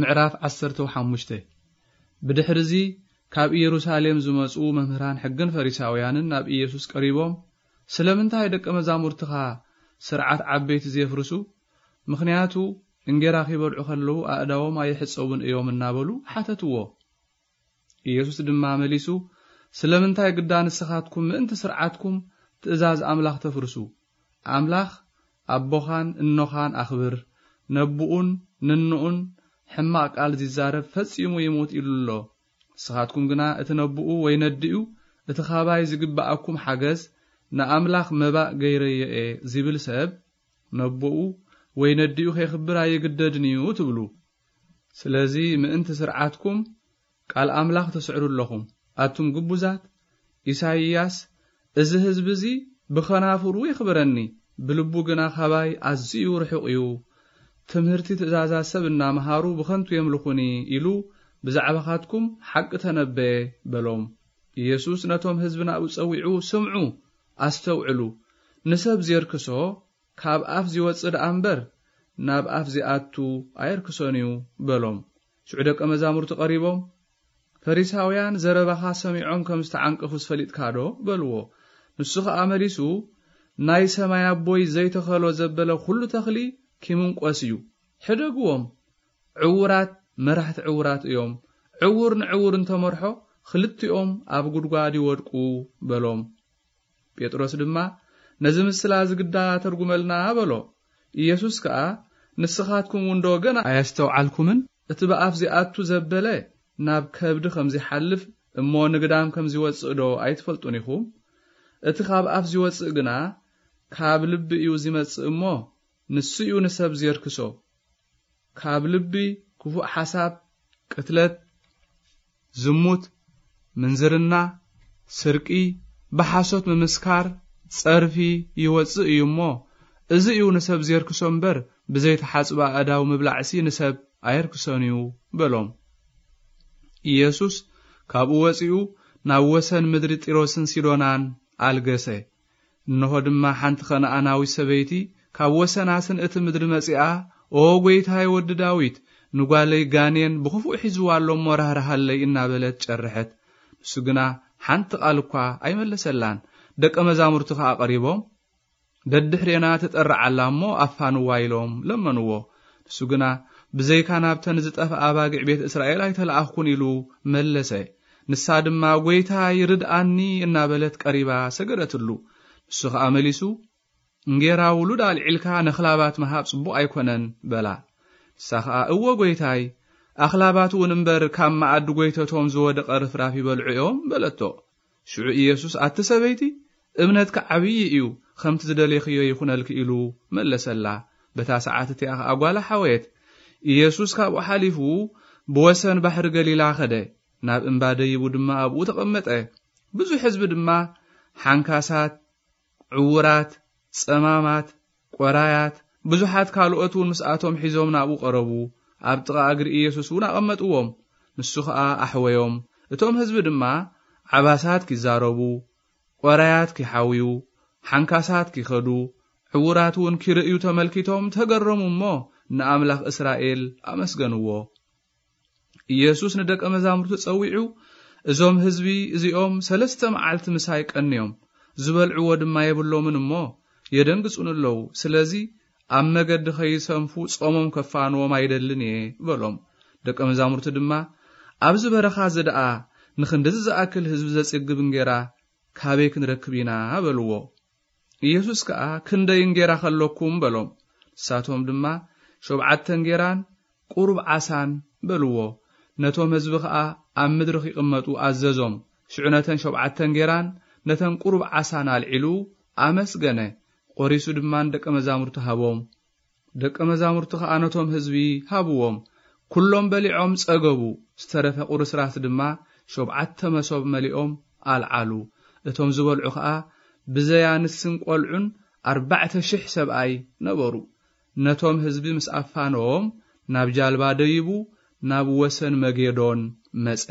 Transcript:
ምዕራፍ ዓሰርተ ሓሙሽተ። ብድሕርዚ ካብ ኢየሩሳሌም ዝመጹ መምህራን ሕግን ፈሪሳውያንን ናብ ኢየሱስ ቀሪቦም፣ "ስለምንታይ ደቀ መዛሙርትኻ ስርዓት ዓበይቲ ዜፍርሱ? ምኽንያቱ እንጌራ ኺበልዑ ኸለዉ ኣእዳዎም ኣይሕጸቡን እዮም" እናበሉ ሓተትዎ። ኢየሱስ ድማ መሊሱ፣ "ስለምንታይ ግዳ ንስኻትኩም ምእንቲ ስርዓትኩም ትእዛዝ ኣምላኽ ተፍርሱ? ኣምላኽ ኣቦኻን እኖኻን ኣኽብር፣ ነብኡን ንንኡን ሕማቕ ቃል ዚዛረብ ፈጺሙ ይሙት" ኢሉ ኣሎ። ንስኻትኩም ግና እቲ ነብኡ ወይ ነዲኡ እቲ ኻባይ ዝግብኣኩም ሓገዝ ንኣምላኽ መባእ ገይረዮ እየ ዚብል ሰብ ነብኡ ወይ ነዲኡ ኼኽብር ኣይግደድን እዩ ትብሉ። ስለዚ ምእንቲ ስርዓትኩም ቃል ኣምላኽ ተስዕሩ ኣለኹም። ኣቱም ግቡዛት፣ ኢሳይያስ፣ "እዚ ህዝቢ እዚ ብኸናፍሩ የኽብረኒ፣ ብልቡ ግና ኻባይ ኣዝዩ ርሑቕ እዩ። ትምህርቲ ትእዛዛት ሰብ እናመሃሩ ብኸንቱ የምልኹኒ" ኢሉ ብዛዕባኻትኩም ሓቂ ተነበየ በሎም። ኢየሱስ ነቶም ህዝቢ ናብኡ ጸዊዑ፣ "ስምዑ፣ ኣስተውዕሉ። ንሰብ ዜርክሶ ካብ ኣፍ ዚወጽእ ደኣ እምበር፣ ናብ ኣፍ ዚኣቱ ኣየርክሶን እዩ" በሎም። ሽዑ ደቀ መዛሙርቱ ቀሪቦም፣ "ፈሪሳውያን ዘረባኻ ሰሚዖም ከም ዝተዓንቀፉስ ፈሊጥካ ዶ?" በልዎ። ንሱ ኸኣ መሊሱ፣ "ናይ ሰማይ ኣቦይ ዘይተኸሎ ዘበለ ኹሉ ተኽሊ ኪምንቆስ እዩ። ሕደግዎም፣ ዕዉራት መራሕቲ ዕዉራት እዮም። ዕዉር ንዕዉር እንተመርሖ፣ ኽልቲኦም ኣብ ጉድጓድ ይወድቁ" በሎም። ጴጥሮስ ድማ፣ "ነዚ ምስላ እዚ ግዳ ተርጉመልና" በሎ። ኢየሱስ ከኣ፣ "ንስኻትኩም እውን ዶ ገና ኣየስተውዓልኩምን? እቲ ብኣፍ ዚኣቱ ዘበለ ናብ ከብዲ ከም ዚሓልፍ እሞ ንግዳም ከም ዚወጽእ ዶ ኣይትፈልጡን ኢኹም? እቲ ካብ ኣፍ ዚወጽእ ግና ካብ ልቢ እዩ ዚመጽእ እሞ፣ ንሱ እዩ ንሰብ ዜርክሶ። ካብ ልቢ ክፉእ ሓሳብ፣ ቅትለት፣ ዝሙት፣ ምንዝርና፣ ስርቂ፣ ብሓሶት ምምስካር፣ ጸርፊ ይወጽእ እዩ እሞ፣ እዚ እዩ ንሰብ ዜርክሶ እምበር፣ ብዘይተሓጽባ ኣእዳው ምብላዕሲ ንሰብ ኣየርክሶን እዩ" በሎም። ኢየሱስ ካብኡ ወጺኡ ናብ ወሰን ምድሪ ጢሮስን ሲዶናን ኣልገሰ። እንሆ ድማ ሓንቲ ከነኣናዊት ሰበይቲ ካብ ወሰናስን እቲ ምድሪ መጺኣ፣ "ኦ ጐይታይ ወዲ ዳዊት፣ ንጓለይ ጋኔን ብኽፉእ ሒዝዋ ኣሎ እሞ ራህርሃለይ" እናበለት ጨርሐት። ንሱ ግና ሓንቲ ቃል እኳ ኣይመለሰላን። ደቀ መዛሙርቱ ኸኣ ቀሪቦም፣ "ደድሕሬና ትጠርዓላ እሞ ኣፋንዋ" ኢሎም ለመንዎ። ንሱ ግና፣ "ብዘይካ ናብተን ዝጠፍኣ ኣባጊዕ ቤት እስራኤል ኣይተለኣኽኩን" ኢሉ መለሰ። ንሳ ድማ፣ "ጐይታይ፣ ርድኣኒ" እናበለት ቀሪባ ሰገደትሉ። ንሱ ኸኣ መሊሱ፣ "እንጌራ ውሉድ ኣልዒልካ ነኽላባት ምሃብ ጽቡቕ ኣይኮነን" በላ። ንሳ ኸኣ፣ "እወ ጐይታይ፣ ኣኽላባት እውን እምበር ካብ መኣዲ ጐይተቶም ዝወደቐ ርፍራፍ ይበልዑ እዮም" በለቶ። ሽዑ ኢየሱስ፣ "ኣቲ ሰበይቲ፣ እምነትኪ ዓብዪ እዩ፣ ከምቲ ዝደሌኽዮ ይኹነልኪ" ኢሉ መለሰላ። በታ ሰዓት እቲኣ ኸኣ ጓላ ሓወየት። ኢየሱስ ካብኡ ሓሊፉ ብወሰን ባሕሪ ገሊላ ኸደ። ናብ እምባ ደይቡ ድማ ኣብኡ ተቐመጠ። ብዙሕ ህዝቢ ድማ፣ ሓንካሳት፣ ዕዉራት፣ ጸማማት፣ ቈራያት፣ ብዙሓት ካልኦት እውን ምስኣቶም ሒዞም ናብኡ ቀረቡ። ኣብ ጥቓ እግሪ ኢየሱስ እውን ኣቐመጥዎም። ንሱ ኸኣ ኣሕወዮም። እቶም ህዝቢ ድማ ዓባሳት ኪዛረቡ፣ ቈራያት ኪሓውዩ፣ ሓንካሳት ኪኸዱ፣ ዕዉራት እውን ኪርእዩ ተመልኪቶም ተገረሙ እሞ ንኣምላኽ እስራኤል ኣመስገንዎ። ኢየሱስ ንደቀ መዛሙርቱ ጸዊዑ፣ "እዞም ህዝቢ እዚኦም ሰለስተ መዓልቲ ምሳይ ቀንዮም፣ ዝበልዕዎ ድማ የብሎምን እሞ የደንግጹኒ ኣለዉ። ስለዚ ኣብ መገዲ ኸይሰንፉ ጾሞም ከፋንዎም ኣይደልን እየ" በሎም። ደቀ መዛሙርቱ ድማ፣ "ኣብዚ በረኻ እዚ ደኣ ንኽንድዚ ዝኣክል ህዝቢ ዘጽግብ እንጌራ ካበይ ክንረክብ ኢና?" በልዎ። ኢየሱስ ከኣ፣ "ክንደይ እንጌራ ኸለኩም?" በሎም። ንሳቶም ድማ፣ "ሸውዓተ እንጌራን ቁሩብ ዓሳን" በልዎ። ነቶም ህዝቢ ኸኣ ኣብ ምድሪ ኺቕመጡ ኣዘዞም። ሽዑ ነተን ሸውዓተ እንጌራን ነተን ቁሩብ ዓሳን ኣልዒሉ ኣመስገነ፣ ቈሪሱ ድማ ንደቀ መዛሙርቱ ሃቦም። ደቀ መዛሙርቱ ኸኣ ነቶም ህዝቢ ሃብዎም። ኩሎም በሊዖም ጸገቡ። ዝተረፈ ቁርስራስ ድማ ሸውዓተ መሶብ መሊኦም ኣልዓሉ። እቶም ዝበልዑ ኸኣ ብዘይ ኣንስትን ቈልዑን ኣርባዕተ ሽሕ ሰብኣይ ነበሩ። ነቶም ህዝቢ ምስ ኣፋነዎም ናብ ጃልባ ደይቡ ናብ ወሰን መጌዶን መጸ።